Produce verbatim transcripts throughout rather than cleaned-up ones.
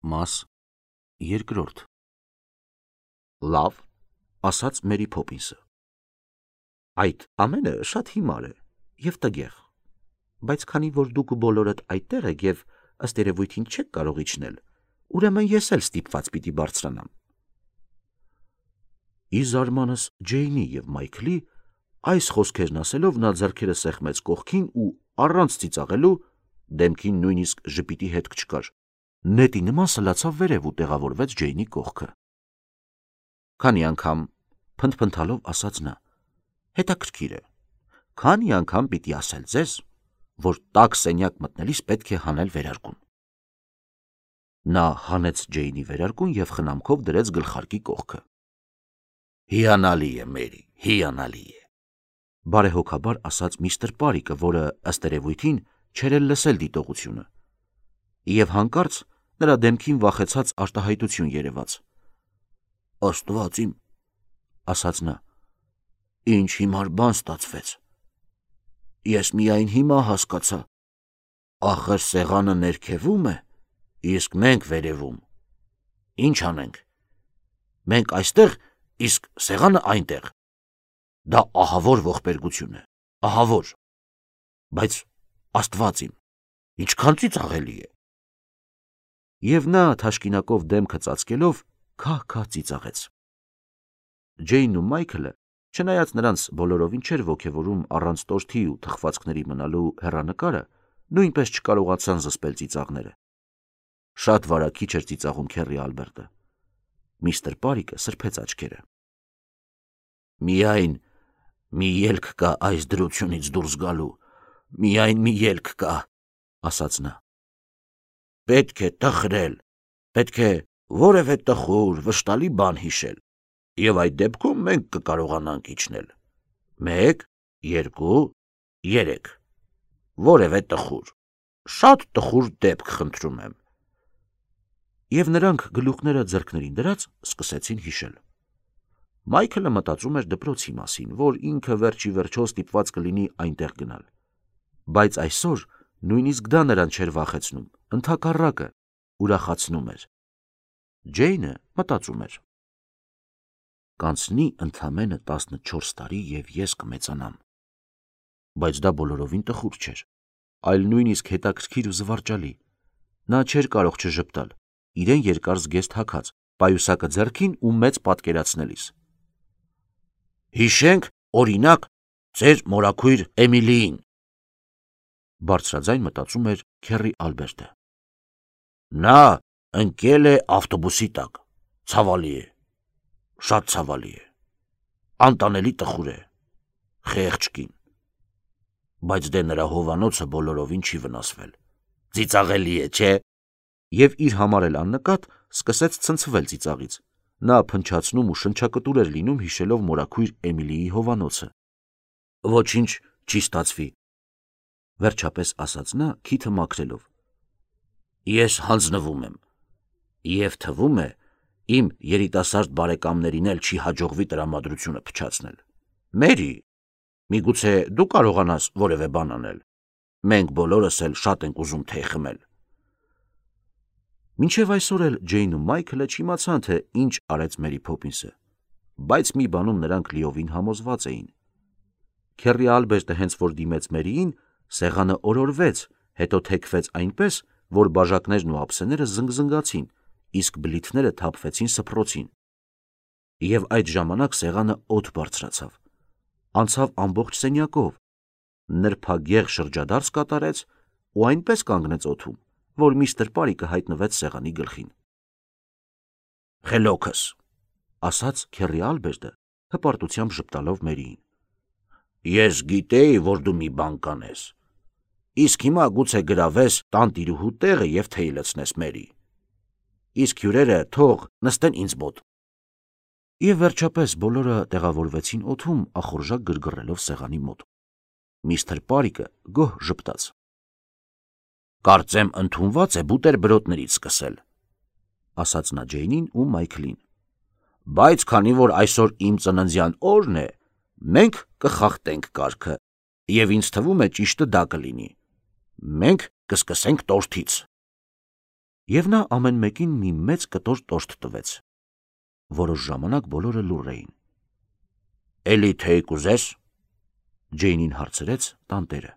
Մաս երկրորդ Լավ, ասաց Մերի Փոփինսը։ Այդ ամենը շատ հիմար է և տգեղ, բայց քանի որ դուք բոլորդ այդտեղ եք և ըստ երևույթին չեք կարող իջնել, ուրեմն ես էլ ստիպված պիտի բարձրանամ։ Ի զարմանս Ջեյնի և Մայքլի, այս խոսքերն ասելով նա ձեռքերը սեղմեց կողքին ու առանց ծիծաղելու, դեմքին նույնիսկ ժպիտի հետք չկար, նետի նման սլացավ վերև ու տեղավորվեց Ջեյնի կողքը։ Քանի անգամ, փնթփնթալով ասաց նա, հետաքրքիր է, քանի անգամ պիտի ասել ձեզ, որ տաք սենյակ մտնելիս պետք է հանել վերարկուն։ Նա հանեց Ջեյնի վերարկուն և խնամքով դրեց գլխարկի կողքը։ Հիանալի է, Մերի, հիանալի է, բարեհոգաբար ասաց միստր Պարիկը, որը ըստ երևույթին չէր էլ լսել դիտողությունը, և հանկարծ նրա դեմքին վախեցած արտահայտություն երևաց։ Աստված իմ, ասաց նա, ինչ հիմար բան ստացվեց։ Ես միայն հիմա հասկացա, ախր սեղանը ներքևում է, իսկ մենք վերևում։ Ինչ անենք։ Մենք այստեղ, իսկ սեղանը այնտեղ։ Դա ահավոր ողբերգություն է, ահավոր, բայց Աստված իմ, ինչքան ծիծաղելի է։ Եվ նա թաշկինակով դեմքը ծածկելով քահ-քահ ծիծաղեց։ Ջեյնն ու Մայքլը, չնայած նրանց բոլորովին չէր ոգևորում առանց տորթի ու թխվածքների մնալու հեռանկարը, նույնպես չկարողացան զսպել ծիծաղները։ Շատ վարագիչ էր ծիծաղում Քեռի Ալբերտը։ Միստր Պարիկը սրբեց աչքերը։ Միայն մի ելք կա այս դրությունից դուրս գալու, միայն մի ելք կա, ասաց նա։ Պետք է տխրել, պետք է որևէ տխուր, վշտալի բան հիշել, և այդ դեպքում մենք կկարողանանք իջնել։ Մեկ, երկու, երեք, որևէ տխուր, շատ տխուր դեպք խնդրում եմ։ Եվ նրանք գլուխները ձեռքներին դրած սկսեցին հիշել։ Մայքլը մտածում էր դպրոցի մասին, որ ինքը վերջի վերջո ստիպված կլինի այնտեղ գնալ, բայց այսօր նույնիսկ դա նրան չէր վախեցնում, ընդհակառակը, ուրախացնում էր։ Ջեյնը մտածում էր. Կանցնի ընդամենը տասնչորս տարի և ես կմեծանամ։ Բայց դա բոլորովին տխուր չէր, այլ նույնիսկ հետաքրքիր ու զվարճալի։ Նա չէր կարող չժպտալ, իրեն երկար զգեստ հագած, պայուսակը ձեռքին ու մեծ պատկերացնելիս։ Հիշենք, օրինակ, ձեր մորաքույր Էմիլիին, բարձրաձայն մտածում էր Քեռի Ալբերտը։ Նա ընկել է ավտոբուսի տակ, ցավալի է, շատ ցավալի է, անտանելի տխուր է, խեղճ կին, բայց դե նրա հովանոցը բոլորովին չի վնասվել, ծիծաղելի է, չէ։ Եվ իր համար էլ աննկատ սկսեց ցնցվել ծիծաղից։ Նա փնչացնում ու շնչակտուր էր լինում հիշելով մորաքույր Էմիլիի հովանոցը։ Ոչինչ չի ստացվի, վերջապես ասաց նա քիթը մաքրելով։ Ես հանձնվում եմ, և թվում է, իմ երիտասարդ բարեկամներին էլ չի հաջողվի տրամադրությունը փչացնել։ Մերի, միգուցե դու կարողանաս որևէ բան անել։ Մենք բոլորս էլ շատ ենք ուզում թեյ խմել։ Մինչև այսօր էլ Ջեյնն ու Մայքլը չիմացան, թե ինչ արեց Մերի Փոփինսը, բայց մի բանում նրանք լիովին համոզված էին։ Քեռի Ալբերտը հենց որ դիմեց Մերիին, սեղանը օրորվեց, հետո թեքվեց այնպես, որ բաժակներն ու ափսեները զնգզնգացին, իսկ բլիթները թափվեցին սփռոցին։ Եվ այդ ժամանակ սեղանը օդ բարձրացավ, անցավ ամբողջ սենյակով, նրբագեղ շրջադարձ կատարեց ու այնպես կանգնեց օդում, որ միստր Պարիկը հայտնվեց սեղանի գլխին։ Խելոքս, ասաց Քեռի Ալբերտը, հպարտությամբ ժպտալով Մերիին։ Ես գիտեի, որ դու մի բան կանես, իսկ հիմա գուցե գրավես տանտիրուհու տեղը և թեյ լցնես Մերի, իսկ հյուրերը թող նստեն ինձ մոտ։ Եվ վերջապես բոլորը տեղավորվեցին օդում, ախորժակ գրգռելով սեղանի մոտ։ Միստր Պարիկը գոհ ժպտաց։ Կարծեմ ընդունված է բուտերբրոդներից սկսել, ասաց նա Ջեյնին ու Մայքլին, բայց քանի որ այսօր իմ ծննդյան օրն է, մենք կխախտենք կարգը, և ինձ թվում է ճիշտը դա կլինի։ Մենք կսկսենք տորթից։ Եվ նա ամեն մեկին մի մեծ կտոր տորթ տվեց։ Որոշ ժամանակ բոլորը լուռ էին։ «Էլի թեյ կուզես»։ Ջեյնին հարցրեց տանտերը։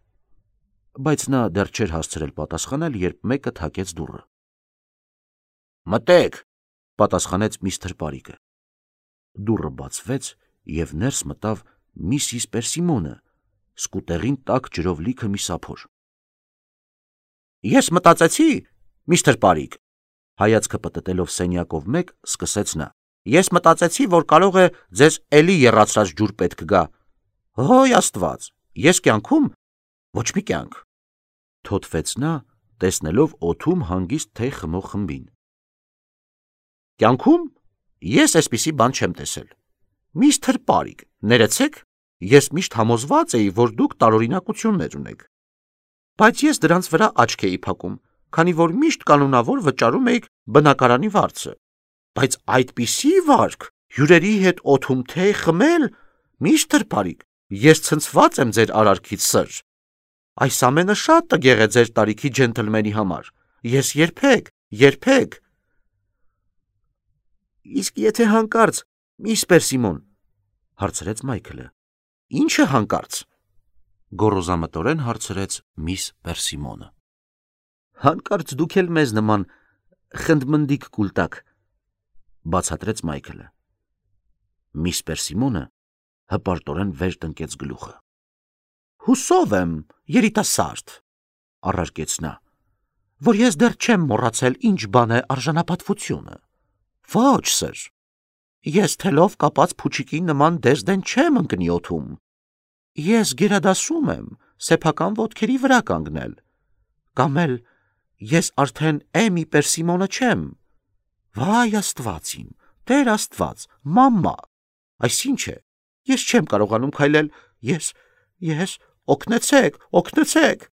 Բայց նա դեռ չէր հասցրել պատասխանել, երբ մեկը թակեց դուռը։ «Մտեք», պատասխանեց միստր Պարիգը։ Դուռը բացվեց, և ներս մտավ միսիս Պերսիմոնը, սկուտեղին տաք ջրով լիքը մի սափոր։ «Ես մտածեցի, միստր Պարիգ», հայացքը պտտելով սենյակով մեկ, սկսեց նա, «ես մտածեցի, որ կարող է ձեզ էլի եռացրած ջուր պետք գա։ Հոյ Աստված, ես կյանքում ոչ մի կյանք», թոթվեց նա, տեսնելով օդում հանգիստ թեյ խմող խմբին։ «Կյանքում ես այսպիսի բան չեմ տեսել։ Միստր Պարիգ, ներեցեք, ես միշտ համոզված էի, որ դուք տարօրինակություններ ունեք։ Բայց ես դրանց վրա աչք էի փակում, քանի որ միշտ կանոնավոր վճարում էիք բնակարանի վարձը։ Բայց այդպիսի վարք, հյուրերի հետ օդում թեյ խմել, միստր Պարիգ, ես ցնցված եմ ձեր արարքից, սըր։ Այս ամենը շատ տգեղ է ձեր տարիքի ջենթլմենի համար։ Ես երբեք, երբեք… Իսկ եթե հանկարծ, միս Պերսիմոն, հարցրեց Մայքլը։ Ի՞նչը հանկարծ, գոռոզամտորեն հարցրեց միս Պերսիմոնը։ Հանկարծ դուք էլ մեզ նման խնդմնդիկ կուլ տաք, բացատրեց Մայքլը։ Միս Պերսիմոնը հպարտորեն վեր տնկեց գլուխը։ Հուսով եմ, երիտասարդ, առարկեց նա, որ ես դեռ չեմ մոռացել ինչ բան է արժանապատվությունը։ Ոչ, սըր, ես թելով կապած փուչիկի նման դեսդեն չեմ ընկնի օդում։ Ես գերադասում եմ սեփական ոտքերի վրա կանգնել։ Կամ էլ ես արդեն Էմի Պերսիմոնը չեմ։ Վայ Աստված իմ, Տեր Աստված, մամմա, այսինչ է, ես չեմ կարողանում քայլել, ես, ես, օգնեցեք, օգնեցեք։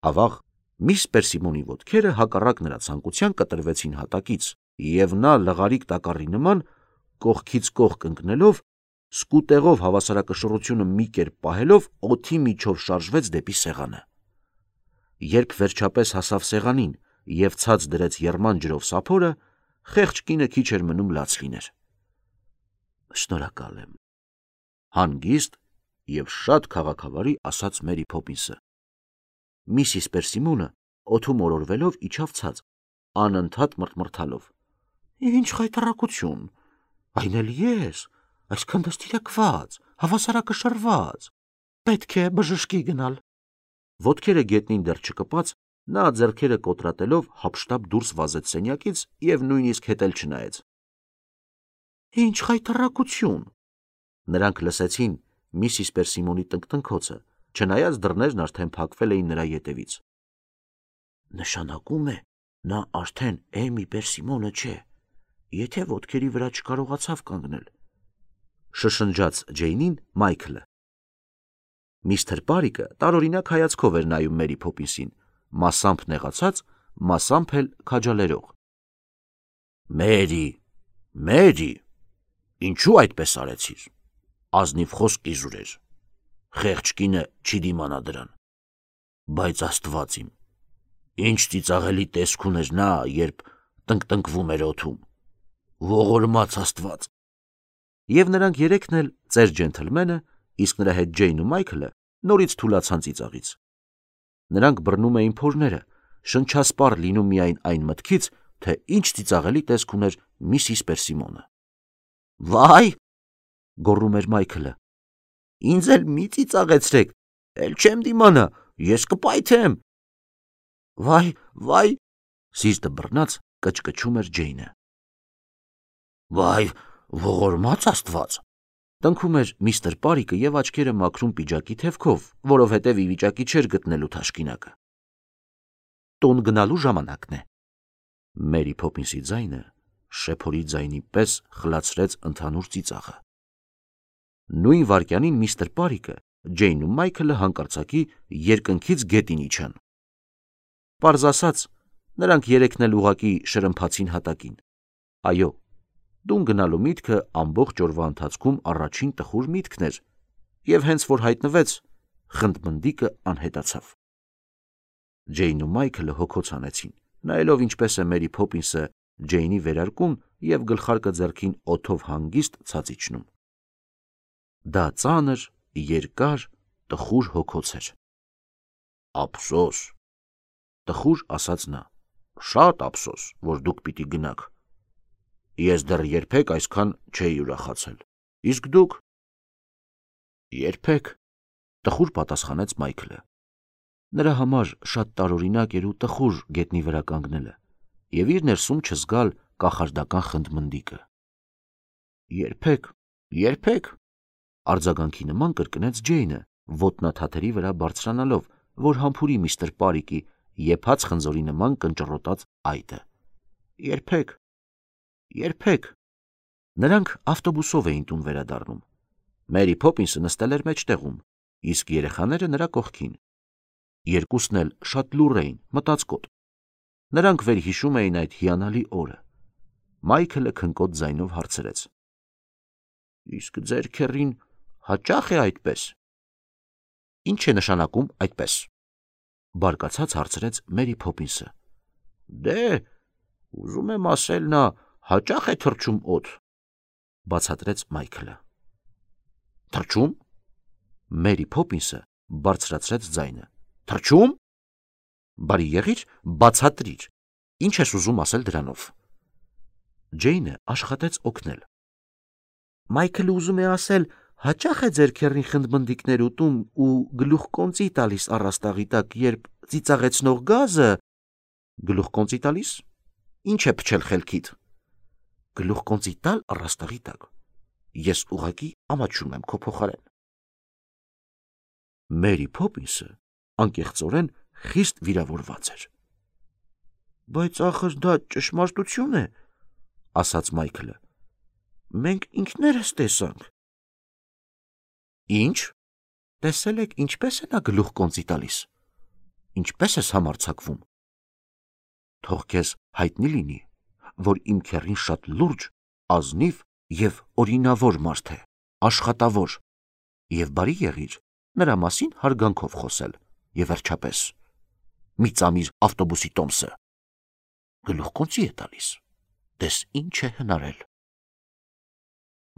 Ավաղ, միս Պերսիմոնի ոտքերը հակառակ նրա ցանկության կտրվեցին հատակից, և նա լղարիկ տակառի նման, կողքից կողք ընկնելով, սկուտեղով հավասարակշռությունը մի կերպ պահելով, օդի միջով շարժվեց դեպի սեղանը։ Երբ վերջապես հասավ սեղանին և ցած դրեց եռման ջրով սափորը, խեղճ կինը քիչ էր մնում լաց լիներ։ Շնորհակալ եմ, հանգիստ և շատ քաղաքավարի ասաց Մերի Փոփինսը։ Միսիս Պերսիմոնը օդում օրորվելով իջավ ցած, անընդհատ մռթմռթալով։ Ինչ խայտառակություն, այն էլ ես, այսքան դաստիարակված, հավասարակշռված, պետք է բժշկի գնալ։ Ոտքերը գետնին դեռ չկպած, նա ձեռքերը կոտրատելով հափշտապ դուրս վազեց սենյակից և նույնիսկ հետ էլ չնայեց։ Ինչ խայտառակություն։ Նրանք լսեցին միսիս Պերսիմոնի տնկտնքոցը, չնայած դռներն արդեն փակվել էին նրա ետևից։ Նշանակում է, նա արդեն Էմի Պերսիմոնը չէ, եթե ոտքերի վրա չկարողացավ կանգնել, շշնջաց Ջեյնին Մայքլը։ Միստր Պարիգը տարօրինակ հայացքով էր նայում Մերի Փոփինսին, մասամբ նեղացած, մասամբ էլ քաջալերող։ Մերի, Մերի, ինչու այդպես արեցիր, ազնիվ խոսք իզուր էր, խեղճ կինը չի դիմանա դրան, բայց Աստված իմ, ինչ ծիծաղելի տեսք ուներ նա, երբ տնկտնկվում էր օդում, ողորմած Աստված։ Եվ նրանք երեքն էլ, ծեր ջենթլմենը, իսկ նրա հետ Ջեյնն ու Մայքլը, նորից թուլացան ծիծաղից։ Նրանք բռնում էին փորները, շնչասպառ լինում միայն այն մտքից, թե ինչ ծիծաղելի տեսք ուներ միսիս Պերսիմոնը։ Վայ, գոռում էր Մայքլը, ինձ էլ մի ծիծաղեցրեք, էլ չեմ դիմանա, ես կպայթեմ։ Վայ, վայ, սիրտը բռնած կչկչում էր Ջեյնը։ Վայ, ողորմած Աստված, տնքում էր միստր Պարիգը և աչքերը մաքրում պիջակի թևքով, որովհետև ի վիճակի չէր գտնելու թաշկինակը։ Տուն գնալու ժամանակն է։ Մերի Փոփինսի ձայնը շեփորի ձայնի պես խլացրեց ընդհանուր ծիծաղը։ Նույն վայրկյանին միստր Պարիգը, Ջեյնն ու Մայքլը հանկարծակի երկնքից գետին իջան։ Պարզ ասած, նրանք երեքն էլ ուղղակի շրմփացին հատակին։ Այո, տուն գնալու միտքը ամբողջ օրվա ընթացքում առաջին տխուր միտքն էր, և հենց որ հայտնվեց, խնդմնդիկը անհետացավ։ Ջեյնն ու Մայքլը հոգոց հանեցին, նայելով ինչպես է Մերի Փոփինսը Ջեյնի վերարկում և գլխարկը ձեռքին օդով հանգիստ ցած իջնում։ Դա ծանր, երկար, տխուր հոգոց էր։ Ափսոս, տխուր ասաց նա, շատ ափսոս, որ դուք պիտի գնաք։ Ես դեռ երբեք այսքան չէի ուրախացել։ Իսկ դուք։ Երբեք, տխուր պատասխանեց Մայքլը։ Նրա համար շատ տարօրինակ էր ու տխուր գետնի վրա կանգնելը և իր ներսում չզգալ կախարդական խնդմնդիկը։ Երբեք, երբեք, արձագանքի նման կրկնեց Ջեյնը, ոտնաթաթերի վրա բարձրանալով, որ համբուրի միստր Պարիկի եփած խնձորի նման կնճռոտած այտը։ Երբեք, երբեք։ Նրանք ավտոբուսով էին տուն վերադառնում։ Մերի Փոփինսը նստել էր մեջտեղում, իսկ երեխաները նրա կողքին։ Երկուսն էլ շատ լուռ էին, մտածկոտ։ Նրանք վերհիշում էին այդ հիանալի օրը։ Մայքլը քնկոտ ձայնով հարցրեց. Իսկ ձեր քեռին հաճա՞խ է այդպես։ Ինչ է նշանակում այդպես։ Բարկացած հարցրեց Մերի Փոփինսը։ Դե, ուզում եմ ասել, նա հաճախ է թռչում օդ, բացատրեց Մայքլը։ Թռչում։ Մերի Փոփինսը բարձրացրեց ձայնը։ Թռչում։ Բարի եղիր, բացատրիր, ինչ ես ուզում ասել դրանով։ Ջեյնը աշխատեց օգնել։ Մայքլը ուզում է ասել, հաճախ է ձեր քեռին խնդմնդիկներ ուտում ու գլուխկոնծի տալիս առաստաղի տակ, երբ ծիծաղեցնող գազը։ Գլուխկոնծի տալիս։ Ինչ է փչել խելքիդ։ Գլուխկոնծի տալ առաստաղի տակ։ Ես ուղղակի ամաչում եմ քո փոխարեն։ Մերի Փոփինսը անկեղծորեն խիստ վիրավորված էր։ Բայց ախր դա ճշմարտություն է, ասաց Մայքլը։ Մենք ինքներս տեսանք։ Ինչ։ Տեսել եք ինչպես է նա գլուխկոնծի տալիս։ Ինչպես ես համարձակվում։ Թող քեզ հայտնի լինի, որ իմ քեռին շատ լուրջ, ազնիվ և օրինավոր մարդ է, աշխատավոր, և բարի եղիր նրա մասին հարգանքով խոսել, և վերջապես, մի ծամիր ավտոբուսի տոմսը։ Գլուխկոնծի է տալիս, տես ինչ է հնարել։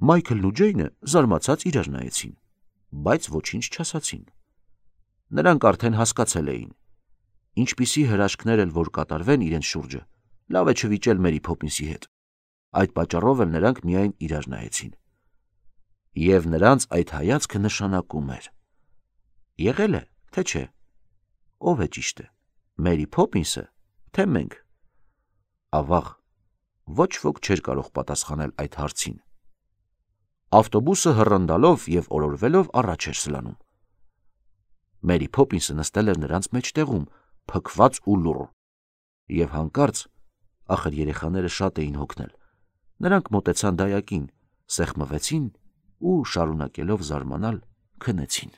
Մայքլն ու Ջեյնը զարմացած իրար նայեցին, բայց ոչինչ չասացին։ Նրանք արդեն հասկացել էին, ինչպիսի հրաշքներ էլ որ կատարվեն իրենց շուրջը, լավ է չվիճել Մերի Փոփինսի հետ։ Այդ պատճառով էլ նրանք միայն իրար նայեցին։ Եվ նրանց այդ հայացքը նշանակում էր. եղել է, թե չէ։ Ով է ճիշտը, Մերի Փոփինսը, թե մենք։ Ավաղ, ոչ ոք չէր կարող պատասխանել այդ հարցին։ Ավտոբուսը հռնդալով և օրորվելով առաջ էր սլանում։ Մերի Փոփինսը նստել էր նրանց մեջտեղում, փքված ու լուռ։ Եվ հանկարծ, ախր երեխաները շատ էին հոգնել, նրանք մոտեցան դայակին, սեղմվեցին ու, շարունակելով զարմանալ, քնեցին։